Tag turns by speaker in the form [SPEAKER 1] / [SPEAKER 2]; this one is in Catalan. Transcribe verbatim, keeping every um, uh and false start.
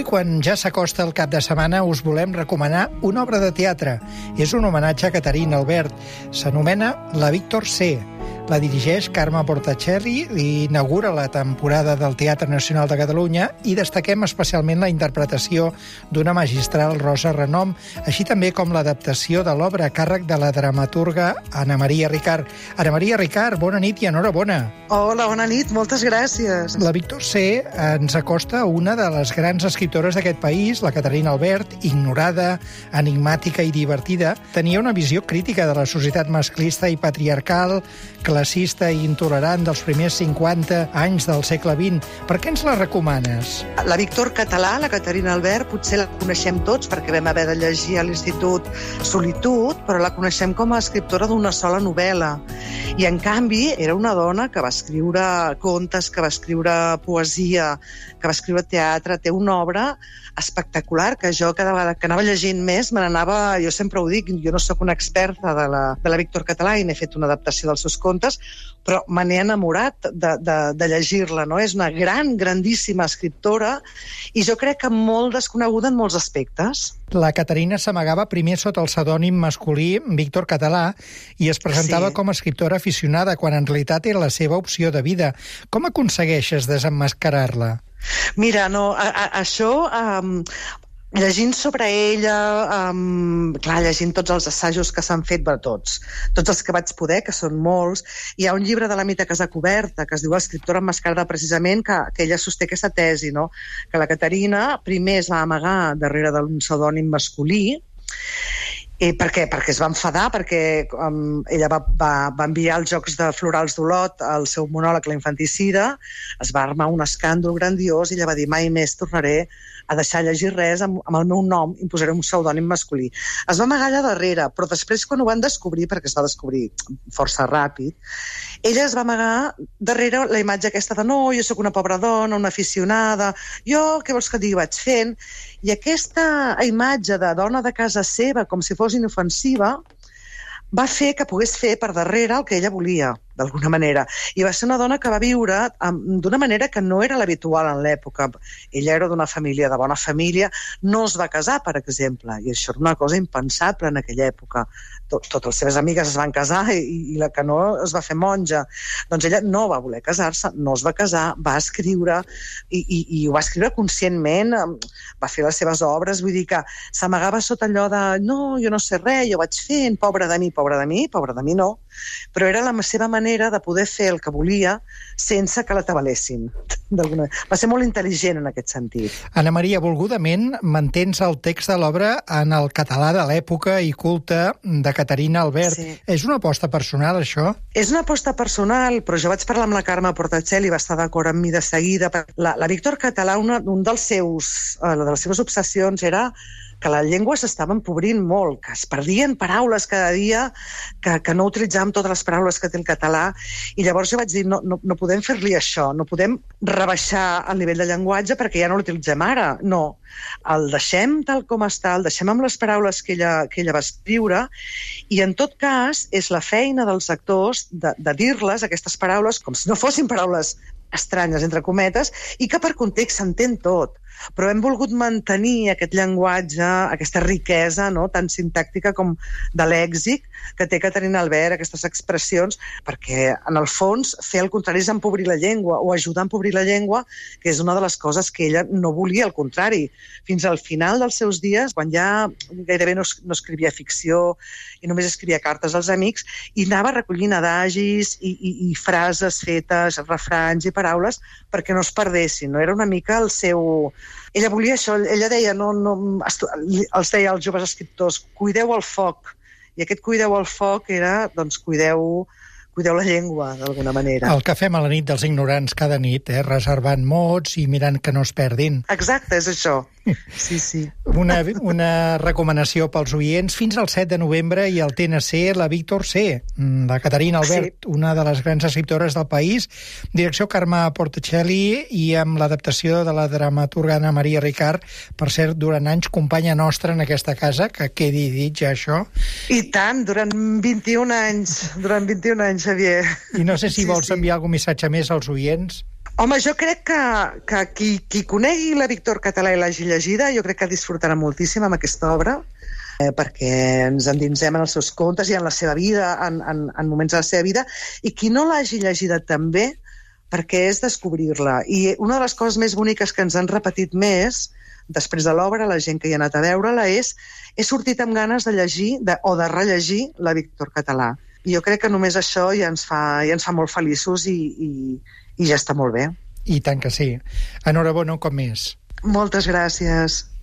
[SPEAKER 1] quan ja s'acosta el cap de setmana, us volem recomanar una obra de teatre. És un homenatge a Caterina Albert. S'anomena La Víctor C. La dirigeix Carme Portacelli i inaugura la temporada del Teatre Nacional de Catalunya i destaquem especialment la interpretació d'una magistral Rosa Renom, així també com l'adaptació de l'obra a càrrec de la dramaturga Anna Maria Ricard. Anna Maria Ricard, bona nit i enhorabona.
[SPEAKER 2] Hola, bona nit, moltes gràcies.
[SPEAKER 1] La Víctor C. ens acosta a una de les grans escriptores d'aquest país, la Caterina Albert, ignorada, enigmàtica i divertida. Tenia una visió crítica de la societat masclista i patriarcal, classista i intolerant dels primers cinquanta anys del segle vint. Per què ens la recomanes?
[SPEAKER 2] La Víctor català, la Caterina Albert, potser la coneixem tots perquè vam haver de llegir a l'Institut Solitud, però la coneixem com a escriptora d'una sola novel·la. I, en canvi, era una dona que va escriure contes, que va escriure poesia, que va escriure teatre. Té una obra espectacular que jo cada vegada que anava llegint més me n'anava, jo sempre ho dic, jo no sóc una experta de la, de la Víctor català i n'he fet una adaptació dels seus contes, però me n'he enamorat de, de, de llegir-la, no? És una gran, grandíssima escriptora i jo crec que molt desconeguda en molts aspectes.
[SPEAKER 1] La Caterina s'amagava primer sota el pseudònim masculí Víctor Català i es presentava sí. com a escriptora aficionada, quan en realitat era la seva opció de vida. Com aconsegueixes desemmascarar-la?
[SPEAKER 2] Mira, no, a, a, això... Um, llegint sobre ella, um, clar, llegint tots els assajos que s'han fet, bé, tots, tots els que vaig poder, que són molts, hi ha un llibre de la Mita Casacuberta que es diu Escriptora emmascarada, precisament, que, que ella sosté aquesta tesi, no? Que la Caterina primer es va amagar darrere d'un pseudònim masculí. I per què? Perquè es va enfadar, perquè um, ella va, va, va enviar els Jocs de Florals d'Olot al seu monòleg La Infanticida, es va armar un escàndol grandiós i ella va dir mai més tornaré a deixar llegir res amb, amb el meu nom, i posaré un pseudònim masculí. Es va amagar allà darrere, però després quan ho van descobrir, perquè es va descobrir força ràpid, ella es va amagar darrere la imatge aquesta de no, jo sóc una pobra dona, una aficionada, jo, què vols que et digui, vaig fent, i aquesta imatge de dona de casa seva, com si fos inofensiva, va fer que pogués fer per darrere el que ella volia, d'alguna manera. I va ser una dona que va viure d'una manera que no era l'habitual en l'època. Ella era d'una família, de bona família, no es va casar, per exemple, i això era una cosa impensable en aquella època. Tot, totes les seves amigues es van casar i, i la que no es va fer monja. Doncs ella no va voler casar-se, no es va casar, va escriure i, i, i ho va escriure conscientment, va fer les seves obres, vull dir que s'amagava sota allò de no, jo no sé res, jo vaig fent, pobra de mi, pobra de mi, pobra de mi no, però era la seva manera de poder fer el que volia sense que la tabalessin. Va ser molt intel·ligent en aquest sentit.
[SPEAKER 1] Anna Maria, volgudament mantens el text de l'obra en el català de l'època i culte de Caterina Albert. Sí. És una aposta personal, això?
[SPEAKER 2] És una aposta personal, però jo vaig parlar amb la Carme Portacelli i va estar d'acord amb mi de seguida. La, la Víctor català, una, un dels seus, uh, de les seves obsessions era que la llengua s'estava empobrint molt, que es perdien paraules cada dia, que, que no utilitzàvem totes les paraules que té el català, i llavors jo vaig dir, no, no, no podem fer-li això, no podem rebaixar el nivell de llenguatge perquè ja no l'utilitzem ara, no. El deixem tal com està, el deixem amb les paraules que ella, que ella va escriure, i en tot cas és la feina dels actors de, de dir-les, aquestes paraules, com si no fossin paraules estranyes, entre cometes, i que per context s'entén tot. Però hem volgut mantenir aquest llenguatge, aquesta riquesa, no?, tan sintàctica com de lèxic que té Caterina Albert, aquestes expressions, perquè, en el fons, fer el contrari és empobrir la llengua, o ajudar a empobrir la llengua, que és una de les coses que ella no volia, al contrari. Fins al final dels seus dies, quan ja gairebé no, no escrivia ficció i només escrivia cartes als amics, i anava recollint adagis i, i, i frases fetes, refranys i paraules, perquè no es perdessin, no? Era una mica el seu... Ella volia això, ella deia, no, no, els deia als joves escriptors, cuideu el foc, i aquest cuideu el foc era, doncs, cuideu, cuideu la llengua, d'alguna manera.
[SPEAKER 1] El que fem a la nit dels ignorants cada nit, eh? Reservant mots i mirant que no es perdin.
[SPEAKER 2] Exacte, és això. Sí, sí.
[SPEAKER 1] Una, una recomanació pels oients. Fins al set de novembre i al T N C, la Víctor C, la Caterina Albert, sí. Una de les grans escriptores del país. Direcció Carme Portacelli i amb l'adaptació de la dramaturga Anna Maria Ricard, per cert, durant anys companya nostra en aquesta casa, que quedi dit ja això.
[SPEAKER 2] I tant, durant vint-i-un anys, durant vint-i-un anys, Xavier.
[SPEAKER 1] I no sé si
[SPEAKER 2] sí,
[SPEAKER 1] vols
[SPEAKER 2] sí.
[SPEAKER 1] enviar algun missatge més als oients.
[SPEAKER 2] Home, jo crec que, que qui, qui conegui la Víctor Català i l'hagi llegida, jo crec que disfrutarà moltíssim amb aquesta obra, eh, perquè ens endinsem en els seus contes i en la seva vida, en, en, en moments de la seva vida, i qui no l'hagi llegida també, perquè és descobrir-la. I una de les coses més boniques que ens han repetit més, després de l'obra, la gent que hi ha anat a veure-la, és he sortit amb ganes de llegir de, o de rellegir la Víctor Català. I jo crec que només això ja ens fa, ja ens fa molt feliços i, i, i ja està molt bé.
[SPEAKER 1] I tant que sí. Enhorabona un cop més.
[SPEAKER 2] Moltes gràcies.